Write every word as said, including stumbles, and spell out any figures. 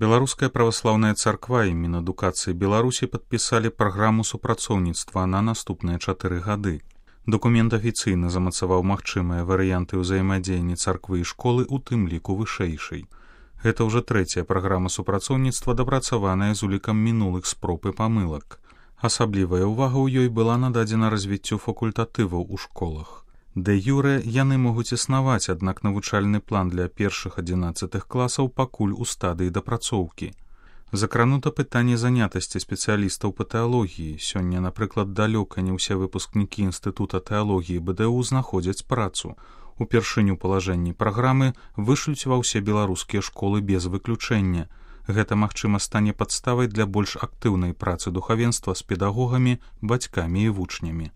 Беларуская праваслаўная царква і Мінадукацыі Беларусі падпісалі праграму супрацоўніцтва на наступныя чатыры гады. Дакумент афіцыйна замацаваў магчымыя варыянты ўзаемадзеяння царквы і школы, у тым ліку вышэйшай. Гэта ўжо трэцяя праграма супрацоўніцтва, дапрацаваная з улікам мінулых спроб і памылак. Асаблівая ўвага ў ёй была нададзена развіццю факультатываў у школах. Дэ-юрэ яны могуць існаваць, аднак навучальны план для першых адзінаццатых класаў пакуль у стадыі дапрацоўкі. Закранута пытанне занятасці спецыялістаў па тэалогіі. Сёння, напрыклад, далёка не ўсе выпускнікі Інстытута тэалогіі Бэ Дэ У знаходзяць працу. Упершыню палажэнні праграмы вышлюць ва ўсе беларускія школы без выключэння. Гэта, магчыма, стане падставай для больш актыўнай працы духавенства з педагогамі, бацькамі і вучнямі.